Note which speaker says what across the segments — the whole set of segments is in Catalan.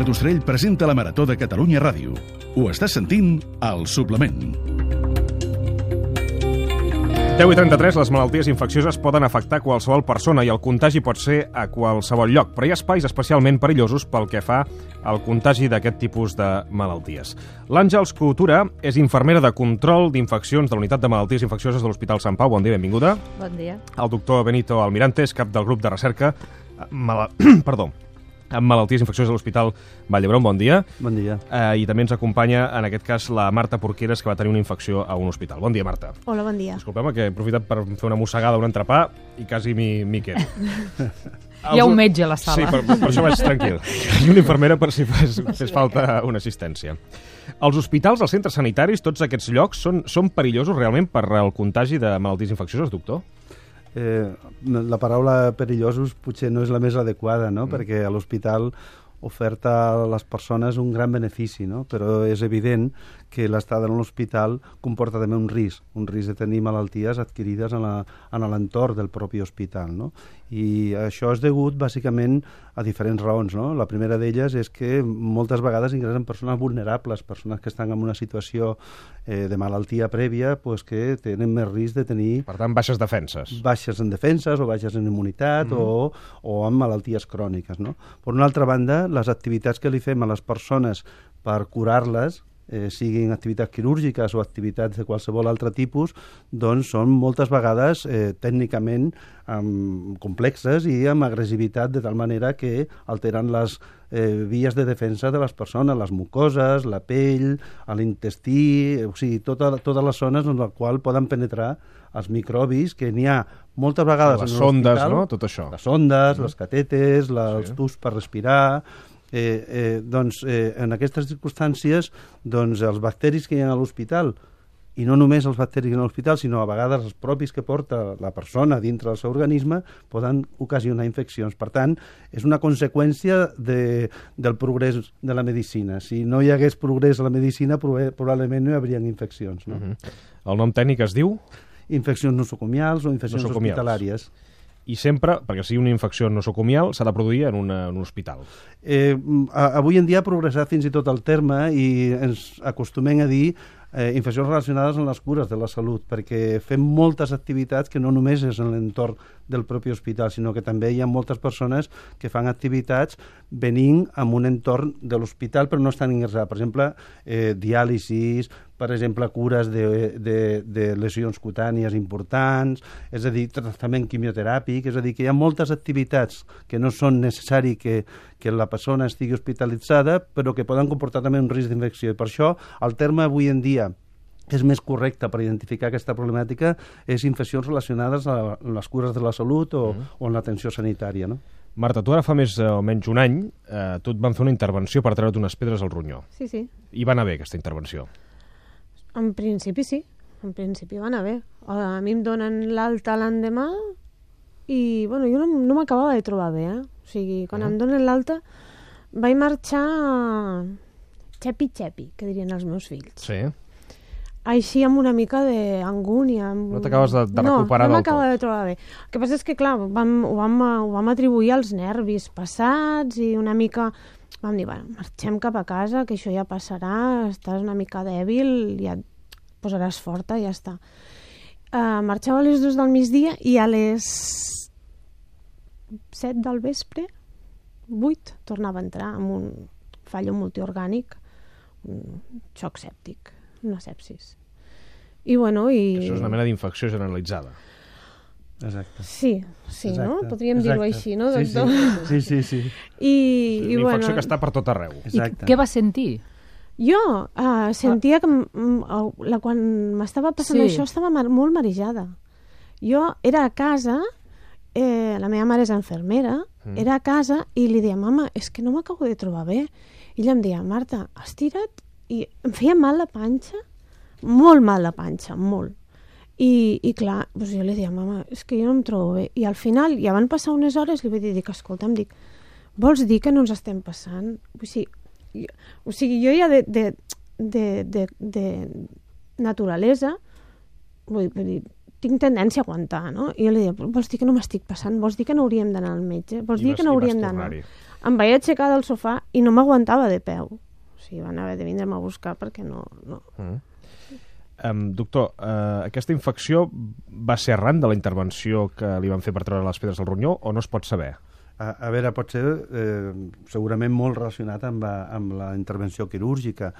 Speaker 1: d'Ostrell presenta la Marató de Catalunya Ràdio. Ho estàs sentint al Suplement.
Speaker 2: 10:33, les malalties infeccioses poden afectar qualsevol persona i el contagi pot ser a qualsevol lloc, però hi ha espais especialment perillosos pel que fa al contagi d'aquest tipus de malalties. L'Àngels Coutura és infermera de control d'infeccions de la Unitat de Malalties Infeccioses de l'Hospital Sant Pau. Bon dia, benvinguda.
Speaker 3: Bon dia.
Speaker 2: El doctor Benito Almirante és cap del grup de recerca amb malalties infeccioses de l'Hospital Vall d'Hebron. Bon dia.
Speaker 4: Bon dia.
Speaker 2: I també ens acompanya, en aquest cas, la Marta Porqueres, que va tenir una infecció a un hospital. Bon dia, Marta.
Speaker 3: Hola, bon dia.
Speaker 2: Disculpeu-me, que he aprofitat per fer una mossegada a un entrepà i quasi m'hi quedo.
Speaker 5: Hi ha un metge a la sala.
Speaker 2: Sí, per això vaig tranquil. I una infermera per si fes falta una assistència. Els hospitals, els centres sanitaris, tots aquests llocs són perillosos realment per al contagi de malalties infeccioses, doctor?
Speaker 4: La paraula perillosos potser no és la més adequada, no? Perquè a l'hospital oferta a les persones un gran benefici, no? Però és evident que l'estada en l'hospital comporta també un risc de tenir malalties adquirides en l'entorn del propi hospital, no? I això és degut bàsicament a diferents raons, no? La primera d'elles és que moltes vegades ingressen persones vulnerables, persones que estan en una situació de malaltia prèvia, pues, que tenen més risc de tenir...
Speaker 2: Per tant, baixes defenses.
Speaker 4: Baixes en defenses o baixes en immunitat o amb malalties cròniques, no? Per una altra banda, les activitats que li fem a les persones per curar-les, siguin activitats quirúrgiques o activitats de qualsevol altre tipus, doncs són moltes vegades tècnicament complexes i amb agressivitat, de tal manera que alteren les vies de defensa de les persones, les mucoses, la pell, l'intestí, o sigui, totes les zones en les quals poden penetrar els microbis, que n'hi ha moltes vegades
Speaker 2: les
Speaker 4: en l'hospital.
Speaker 2: Les sondes, no? Tot això.
Speaker 4: Les sondes, les catetes, els tubs per respirar... en aquestes circumstàncies, doncs, els bacteris que hi ha a l'hospital, i no només els bacteris que hi ha a l'hospital, sinó a vegades els propis que porta la persona dintre del seu organisme, poden ocasionar infeccions. Per tant, és una conseqüència del progrés de la medicina. Si no hi hagués progrés a la medicina, probablement no hi haurien infeccions, no?
Speaker 2: El nom tècnic es diu?
Speaker 4: Infeccions nosocomials o infeccions hospitalàries.
Speaker 2: I sempre, perquè sigui una infecció nosocomial, s'ha de produir en un hospital.
Speaker 4: Avui en dia ha progressat fins i tot el terme i ens acostumem a dir infeccions relacionades amb les cures de la salut, perquè fem moltes activitats que no només és en l'entorn del propi hospital, sinó que també hi ha moltes persones que fan activitats venint en un entorn de l'hospital però no estan ingressats. Per exemple, diàlisis, per exemple, cures de lesions cutànies importants, és a dir, tractament quimioteràpic, és a dir, que hi ha moltes activitats que no són necessari que la persona estigui hospitalitzada, però que poden comportar també un risc d'infecció. I per això el terme avui en dia és més correcte per identificar aquesta problemàtica és infeccions relacionades a les cures de la salut o en l'atenció sanitària, no?
Speaker 2: Marta, tu ara fa més o menys un any, tu et van fer una intervenció per treure't unes pedres al ronyó.
Speaker 3: Sí, sí.
Speaker 2: I va anar bé aquesta intervenció?
Speaker 3: En principi sí, en principi va anar bé. A mi em donen l'alta l'endemà i, bueno, jo no m'acabava de trobar bé, O sigui, quan em donen l'alta vaig marxar xepi-xepi, que dirien els meus fills.
Speaker 2: Sí.
Speaker 3: Així amb una mica d'angúnia.
Speaker 2: No t'acabes de recuperar del tot.
Speaker 3: No m'acaba de trobar bé. El que passa és que, clar, ho vam atribuir als nervis passats i una mica... Vam dir, bueno, marxem cap a casa, que això ja passarà, estàs una mica dèbil, ja et posaràs forta i ja està. Marxava a les 2 del migdia i a les 7 del vespre, 8, tornava a entrar amb un fallo multiorgànic, un xoc sèptic, una sepsis. I bueno,
Speaker 2: Això és una mena d'infecció generalitzada.
Speaker 4: Exacte.
Speaker 3: Sí, exacte. No? Podríem dir-ho així, no, doctor?
Speaker 4: Sí.
Speaker 3: I
Speaker 2: una infecció que està per tot arreu.
Speaker 5: Exacte. I què vas sentir?
Speaker 3: Jo sentia que quan m'estava passant això estava molt marejada. Jo era a casa, la meva mare és infermera, era a casa i li deia, mama, és que no m'acabo de trobar bé. I ella em deia, Marta, estira't, i em feia mal la panxa, molt mal la panxa, molt. I clar, doncs jo li deia, mama, és que jo no em trobo bé. I al final, ja van passar unes hores, li vaig dir que, escolta, em dic, vols dir que no ens estem passant? O sigui, jo ja de naturalesa, vull dir, tinc tendència a aguantar, no? I jo li deia, vols dir que no m'estic passant? Vols dir que no hauríem d'anar al metge? Vols dir que no hauríem d'anar? em vaig aixecar del sofà i no m'aguantava de peu. O sigui, van haver de vindre'm a buscar perquè no...
Speaker 2: Doctor, aquesta infecció va ser arran de la intervenció que li van fer per treure les pedres del ronyó o no es pot saber?
Speaker 4: A veure, pot ser segurament molt relacionat amb la intervenció quirúrgica.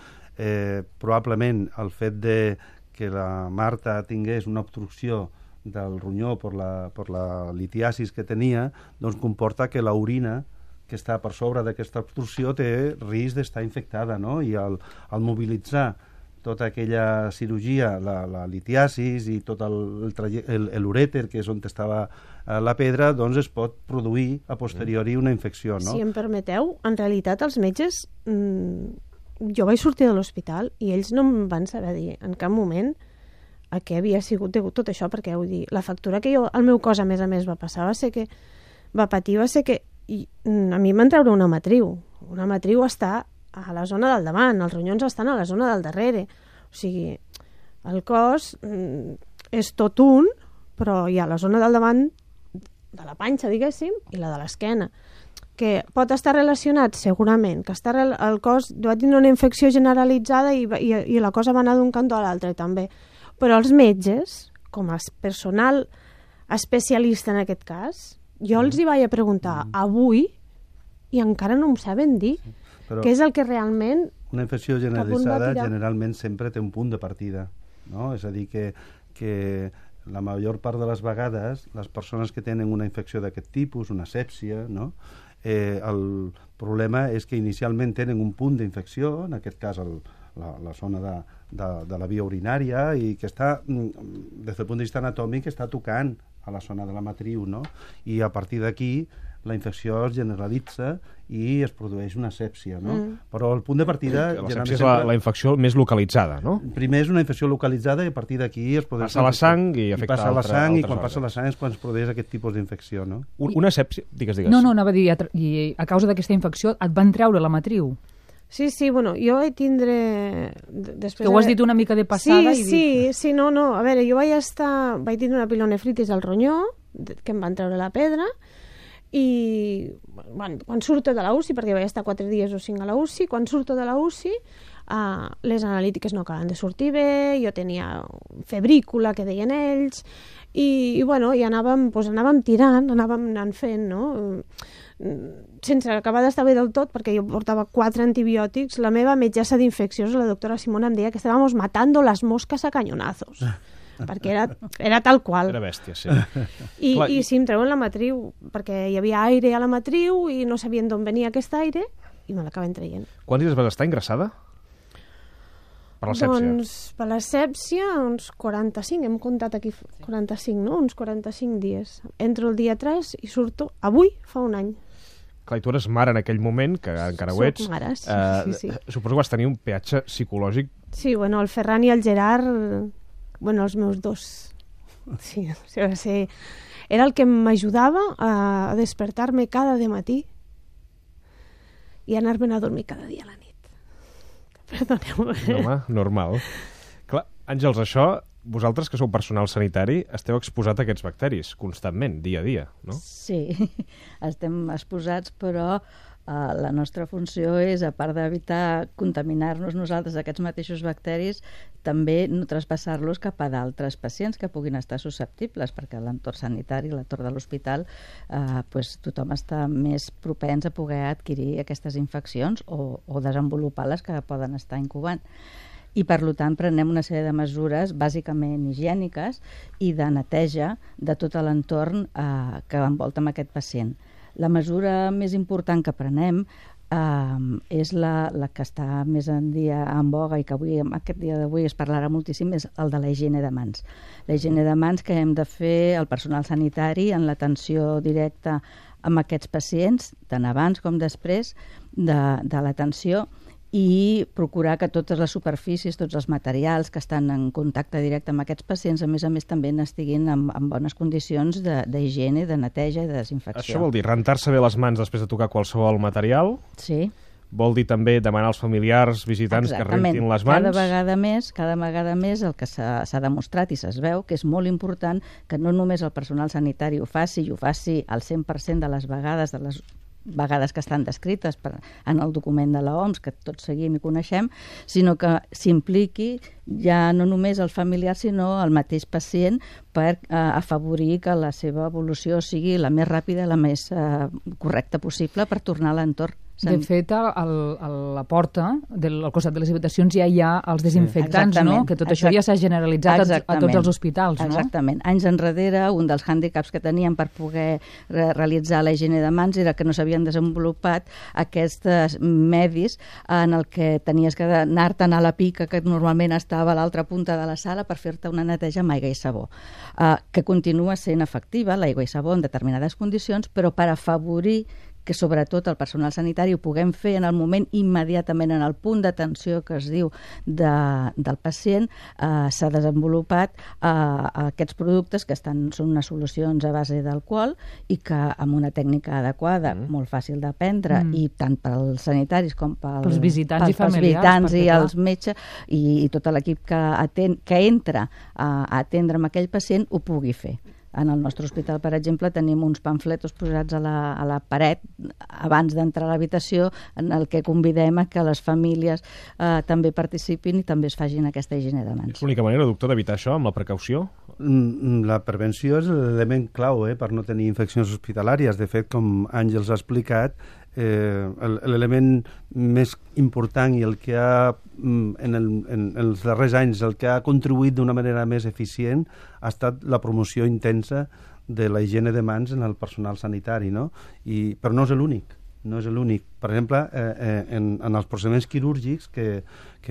Speaker 4: Probablement el fet de que la Marta tingués una obstrucció del ronyó per la litiasis que tenia, doncs comporta que l'orina que està per sobre d'aquesta obstrucció té risc d'estar infectada, no? I al mobilitzar tota aquella cirurgia, la litiasis i tot l'urèter, que és on estava la pedra, doncs es pot produir a posteriori una infecció, no?
Speaker 3: Si em permeteu, en realitat els metges... Jo vaig sortir de l'hospital i ells no em van saber dir en cap moment a què havia sigut degut tot això, perquè vull dir, la factura que el meu cos a més va passar va ser que a mi em van treure una matriu. Una matriu està a la zona del davant, els ronyons estan a la zona del darrere. O sigui, el cos és tot un, però hi ha la zona del davant de la panxa, diguéssim, i la de l'esquena. Que pot estar relacionat, segurament, que el cos va tenir una infecció generalitzada i la cosa va anar d'un cantó a l'altre també. Però els metges, com a personal especialista en aquest cas, jo els hi vaig a preguntar avui i encara no em saben dir què és el que realment...
Speaker 4: Una infecció generalitzada generalment sempre té un punt de partida, no? És a dir, que la major part de les vegades les persones que tenen una infecció d'aquest tipus, una sèpsia, no? El problema és que inicialment tenen un punt d'infecció, en aquest cas la zona de la via urinària, i que està, des del punt de vista anatòmic, està tocant a la zona de la matriu, no? I a partir d'aquí la infecció es generalitza i es produeix una sèpsia, no? Però el punt de partida...
Speaker 2: La sèpsia és la infecció més localitzada, no?
Speaker 4: Primer és una infecció localitzada i a partir d'aquí es produeix...
Speaker 2: Passa la sang i afecta
Speaker 4: altres òrgans. Passa la sang i quan passa la sang és quan es produeix aquest tipus d'infecció, no?
Speaker 2: Una sèpsia... Digues.
Speaker 5: No, anava a dir, i a causa d'aquesta infecció et van treure la matriu.
Speaker 3: Sí, bueno, jo vaig tindre...
Speaker 5: Que ho has dit una mica de passada.
Speaker 3: Sí, no. A veure, jo vaig tindre una pilonefritis al ronyó, que em van treure la pedra, i quan surto de la UCI, perquè vaig estar 4 dies o 5 a la UCI, quan surto de la UCI les analítiques no acaben de sortir bé, jo tenia febrícula, que deien ells, i anàvem tirant, anàvem anant fent, no? Sense acabar d'estar bé del tot, perquè jo portava 4 antibiòtics. La meva metgessa d'infeccions, la doctora Simona, em deia que estàvem matando las moscas a cañonazos. Perquè era tal qual.
Speaker 2: Era bèstia, sí.
Speaker 3: I sí, em treuen la matriu, perquè hi havia aire a la matriu i no sabien d'on venia aquest aire i me l'acaben traient.
Speaker 2: Quants dies vas estar ingressada? Per la sèpsia?
Speaker 3: Doncs per la sèpsia uns 45, hem comptat aquí 45, no? Uns 45 dies. Entro el dia 3 i surto avui, fa un any.
Speaker 2: Clar, i tu eres mare en aquell moment, que encara ho ets.
Speaker 3: Soc mare, sí.
Speaker 2: Suposo que vas tenir un peatge psicològic.
Speaker 3: Sí, el Ferran i el Gerard... els meus dos. Sí, era el que m'ajudava a despertar-me cada matí i anar-me'n a dormir cada dia a la nit. Perdoneu.
Speaker 2: No, home, normal. Clar, Àngels, això, vosaltres que sou personal sanitari, esteu exposats a aquests bacteris constantment, dia a dia, no?
Speaker 6: Sí, estem exposats, però la nostra funció és, a part d'evitar contaminar-nos nosaltres aquests mateixos bacteris, també no traspassar-los cap a d'altres pacients que puguin estar susceptibles, perquè a l'entorn sanitari, a l'entorn de l'hospital, tothom està més propens a poder adquirir aquestes infeccions o desenvolupar les que poden estar incubant. I, per tant, prenem una sèrie de mesures bàsicament higièniques i de neteja de tot l'entorn que envolta amb aquest pacient. La mesura més important que prenem és la que està més en boga i que avui, aquest dia d'avui es parlarà moltíssim, és el de la higiene de mans. La higiene de mans que hem de fer el personal sanitari en l'atenció directa amb aquests pacients, tant abans com després de l'atenció, i procurar que totes les superfícies, tots els materials que estan en contacte directe amb aquests pacients, a més també estiguin en bones condicions d'higiene, de neteja i de desinfecció.
Speaker 2: Això vol dir rentar-se bé les mans després de tocar qualsevol material?
Speaker 6: Sí.
Speaker 2: Vol dir també demanar als familiars, visitants, que rentin les mans?
Speaker 6: Cada vegada més el que s'ha demostrat i es veu que és molt important que no només el personal sanitari ho faci, i ho faci al 100% de les vegades, de les vegades que estan descrites en el document de l'OMS, que tots seguim i coneixem, sinó que s'impliqui ja no només el familiar, sinó el mateix pacient per afavorir que la seva evolució sigui la més ràpida, la més correcta possible per tornar a l'entorn.
Speaker 5: De fet, a la porta, al costat de les habitacions, ja hi ha els desinfectants, no? Que tot això ja s'ha generalitzat a tots els hospitals, no?
Speaker 6: Exactament. Anys enrere, un dels hàndicaps que teníem per poder realitzar la higiene de mans era que no s'havien desenvolupat aquests medis en el que tenies que anar-te'n a la pica que normalment estava a l'altra punta de la sala per fer-te una neteja amb aigua i sabó, que continua sent efectiva, l'aigua i sabó, en determinades condicions, però per afavorir que sobretot el personal sanitari ho puguem fer en el moment immediatament, en el punt d'atenció que es diu del pacient, s'ha desenvolupat aquests productes que són unes solucions a base d'alcohol i que amb una tècnica adequada, molt fàcil d'aprendre, i tant pels sanitaris com pels
Speaker 5: visitants i familiars,
Speaker 6: i els metges i tot l'equip que entra a atendre amb aquell pacient ho pugui fer. En el nostre hospital, per exemple, tenim uns pamfletos posats a la paret abans d'entrar a l'habitació en el que convidem a que les famílies també participin i també es facin aquesta higiene de mans.
Speaker 2: És l'única manera, doctor, d'evitar això, amb la precaució?
Speaker 4: La prevenció és l'element clau per no tenir infeccions hospitalàries. De fet, com Àngels ha explicat, l'element més important i el que en els darrers anys el que ha contribuït d'una manera més eficient ha estat la promoció intensa de la higiene de mans en el personal sanitari, no? Però no és l'únic. No és l'únic. Per exemple, en els procediments quirúrgics que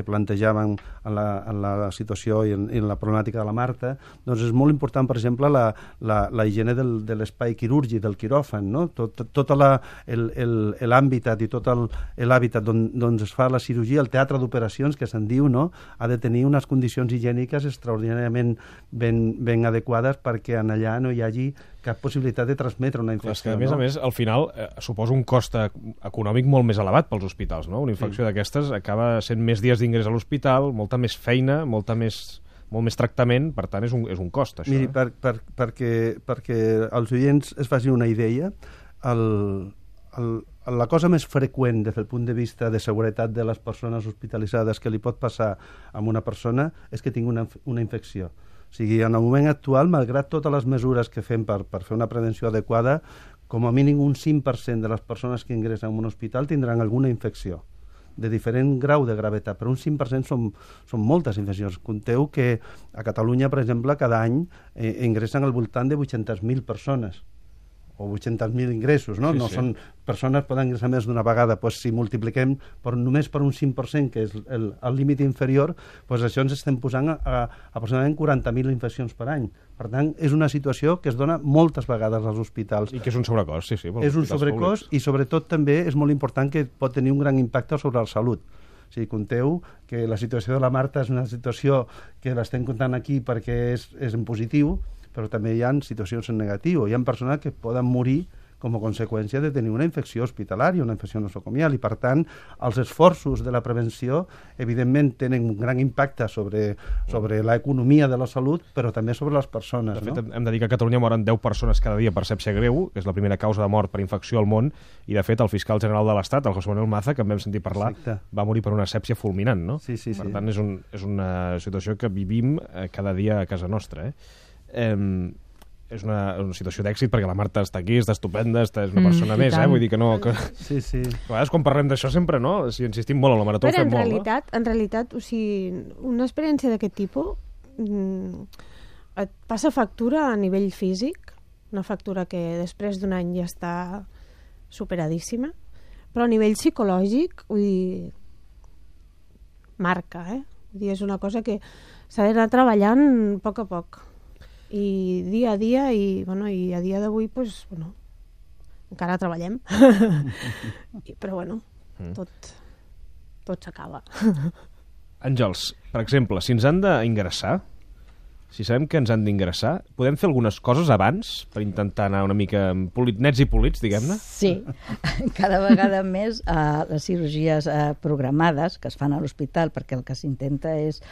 Speaker 4: plantejàvem en la situació i en la problemàtica de la Marta, doncs és molt important, per exemple, la higiene de l'espai quirúrgic, del quiròfan, no? Tot l'hàbitat i tot l'hàbitat on es fa la cirurgia, el teatre d'operacions, que se'n diu, no? Ha de tenir unes condicions higièniques extraordinàriament ben adequades perquè en allà no hi hagi cap possibilitat de transmetre una infecció.
Speaker 2: A més, al final, suposa un cost econòmic molt més elevat pels hospitals, no? Una infecció d'aquestes acaba sent més dies d'ingrés a l'hospital, molta més feina, molt més tractament, per tant és un cost, això.
Speaker 4: Miri, perquè els oients es facin una idea, la cosa més freqüent des del punt de vista de seguretat de les persones hospitalitzades que li pot passar a una persona és que tingui una infecció. O sigui, en el moment actual, malgrat totes les mesures que fem per fer una prevenció adequada, com a mínim un 5% de les persones que ingressen en un hospital tindran alguna infecció de diferent grau de gravetat, però un 5% són moltes infeccions. Compteu que a Catalunya, per exemple, cada any ingressen al voltant de 800.000 persones o 800.000 ingressos, no? Són persones que poden ingressar més d'una vegada. Pues, si multipliquem només per un 5%, que és el límit inferior, pues això ens estem posant a aproximadament 40.000 infeccions per any. Per tant, és una situació que es dona moltes vegades als hospitals.
Speaker 2: I que és un sobrecost, sí.
Speaker 4: És un sobrecost i, sobretot, també és molt important que pot tenir un gran impacte sobre la salut. O sigui, compteu que la situació de la Marta és una situació que l'estem comptant aquí perquè és en positiu, però també hi ha situacions en negatiu. Hi ha persones que poden morir com a conseqüència de tenir una infecció hospitalària, una infecció nosocomial, i per tant els esforços de la prevenció evidentment tenen un gran impacte sobre l'economia de la salut, però també sobre les persones.
Speaker 2: De fet, hem de dir que a Catalunya moren 10 persones cada dia per sèpsia greu, que és la primera causa de mort per infecció al món, i de fet el fiscal general de l'Estat, el José Manuel Maza, que en vam sentir parlar, va morir per una sèpsia fulminant, no?
Speaker 4: Sí.
Speaker 2: Per tant, és una situació que vivim cada dia a casa nostra, és una situació d'èxit perquè la Marta està aquí, està estupenda, és una persona més, vull dir que no...
Speaker 4: Sí.
Speaker 2: A vegades quan parlem d'això sempre, no? Si insistim molt en la marató, fem molt, no?
Speaker 3: En realitat, o sigui, una experiència d'aquest tipus et passa factura a nivell físic, una factura que després d'un any ja està superadíssima, però a nivell psicològic, vull dir, marca, Vull dir, és una cosa que s'ha d'anar treballant a poc, i dia a dia, i a dia d'avui encara treballem però tot s'acaba.
Speaker 2: Àngels, per exemple, si ens han d'ingressar, si sabem que ens han d'ingressar, podem fer algunes coses abans per intentar anar una mica nets i polits, diguem-ne?
Speaker 6: Sí, cada vegada més les cirurgies programades que es fan a l'hospital, perquè el que s'intenta és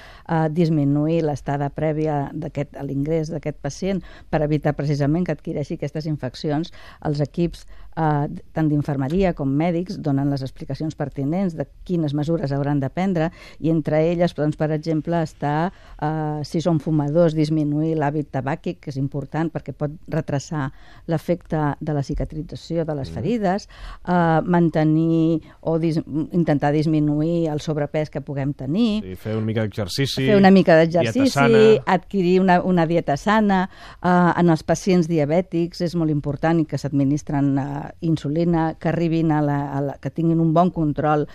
Speaker 6: disminuir l'estada prèvia a l'ingrés d'aquest pacient per evitar precisament que adquireixi aquestes infeccions. Els equips tant d'infermeria com mèdics donen les explicacions pertinents de quines mesures hauran de prendre, i entre elles, doncs, per exemple, està, si són fumadors, disminuir l'hàbit tabàquic, que és important perquè pot retrasar l'efecte de la cicatrització de les ferides, mantenir o intentar disminuir el sobrepès que puguem tenir,
Speaker 2: sí, fer una mica d'exercici,
Speaker 6: adquirir una dieta sana. En els pacients diabètics és molt important i que s'administren insulina, que arribin que tinguin un bon control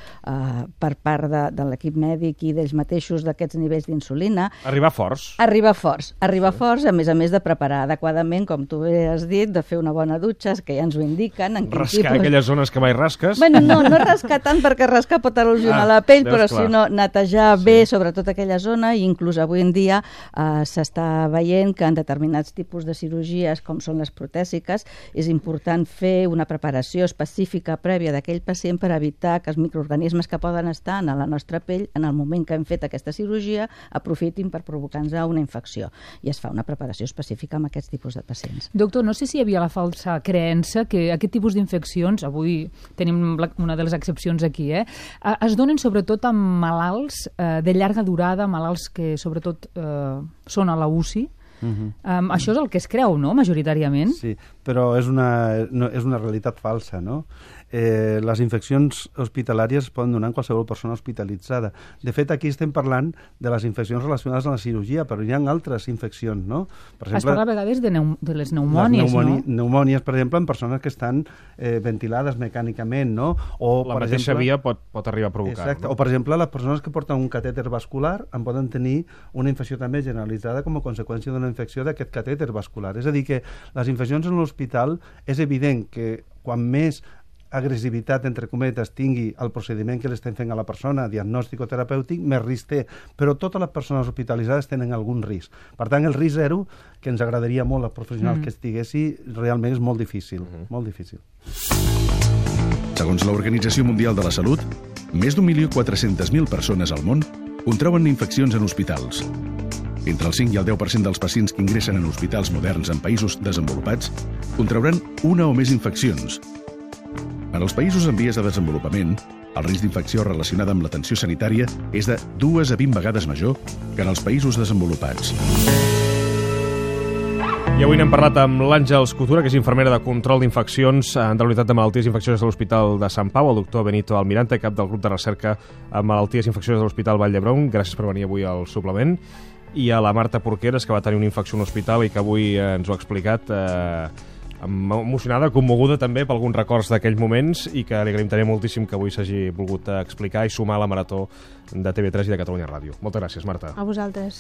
Speaker 6: per part de l'equip mèdic i d'ells mateixos d'aquests nivells d'insulina.
Speaker 2: Arribar forts,
Speaker 6: a més de preparar adequadament, com tu bé has dit, de fer una bona dutxa, que ja ens ho indiquen.
Speaker 2: Rascar aquelles zones que mai rasques.
Speaker 6: Bueno, no rascar tant, perquè rascar pot erosionar la pell, però sinó netejar bé sobretot aquella zona, i inclús avui en dia s'està veient que en determinats tipus de cirurgies, com són les protèsiques, és important fer una preparació específica prèvia d'aquell pacient per evitar que els microorganismes que poden estar en la nostra pell en el moment que hem fet aquesta cirurgia aprofitin per provocar-nos una infecció, i es fa una preparació específica amb aquests tipus de pacients.
Speaker 5: Doctor, no sé si hi havia la falsa creença que aquest tipus d'infeccions, avui tenim una de les excepcions aquí, es donen sobretot amb malalts de llarga durada, malalts que sobretot són a la UCI. Això és el que es creu, no?, majoritàriament.
Speaker 4: Sí, però és una realitat falsa, no? Les infeccions hospitalàries es poden donar en qualsevol persona hospitalitzada. De fet, aquí estem parlant de les infeccions relacionades amb la cirurgia, però hi ha altres infeccions, no? Per exemple,
Speaker 5: es parla a vegades de les pneumònies, no?
Speaker 4: Pneumònies, per exemple, en persones que estan ventilades mecànicament, no? O,
Speaker 2: la mateixa via pot arribar a provocar.
Speaker 4: Exacte,
Speaker 2: no?
Speaker 4: O, per exemple, les persones que porten un catèter vascular en poden tenir una infecció també generalitzada com a conseqüència d'una infecció d'aquest catèter vascular. És a dir, que les infeccions en l'hospital és evident que quan més agressivitat, entre cometes, tingui el procediment que l'estem fent a la persona, diagnòstic o terapèutic, més risc té. Però totes les persones hospitalitzades tenen algun risc. Per tant, el risc zero, que ens agradaria molt als professionals que estiguessi, realment és molt difícil. Molt difícil.
Speaker 1: Segons l'Organització Mundial de la Salut, més d'1.400.000 persones al món contrauen infeccions en hospitals. Entre el 5 i el 10% dels pacients que ingressen en hospitals moderns en països desenvolupats contrauran una o més infeccions. En els països en vies de desenvolupament, el risc d'infecció relacionada amb l'atenció sanitària és de 2 a 20 vegades major que en els països desenvolupats.
Speaker 2: I avui n'hem parlat amb l'Àngels Coutura, que és infermera de control d'infeccions de la Unitat de Malalties Infeccioses de l'Hospital de Sant Pau, el doctor Benito Almirante, cap del grup de recerca en malalties infeccioses de l'Hospital Vall d'Hebron. Gràcies per venir avui al suplement. I a la Marta Porqueres, que va tenir una infecció a un hospital i que avui ens ho ha explicat emocionada, commoguda també per alguns records d'aquells moments, i que li agraïm també moltíssim que avui s'hagi volgut explicar i sumar a la marató de TV3 i de Catalunya Ràdio. Moltes gràcies, Marta.
Speaker 3: A vosaltres.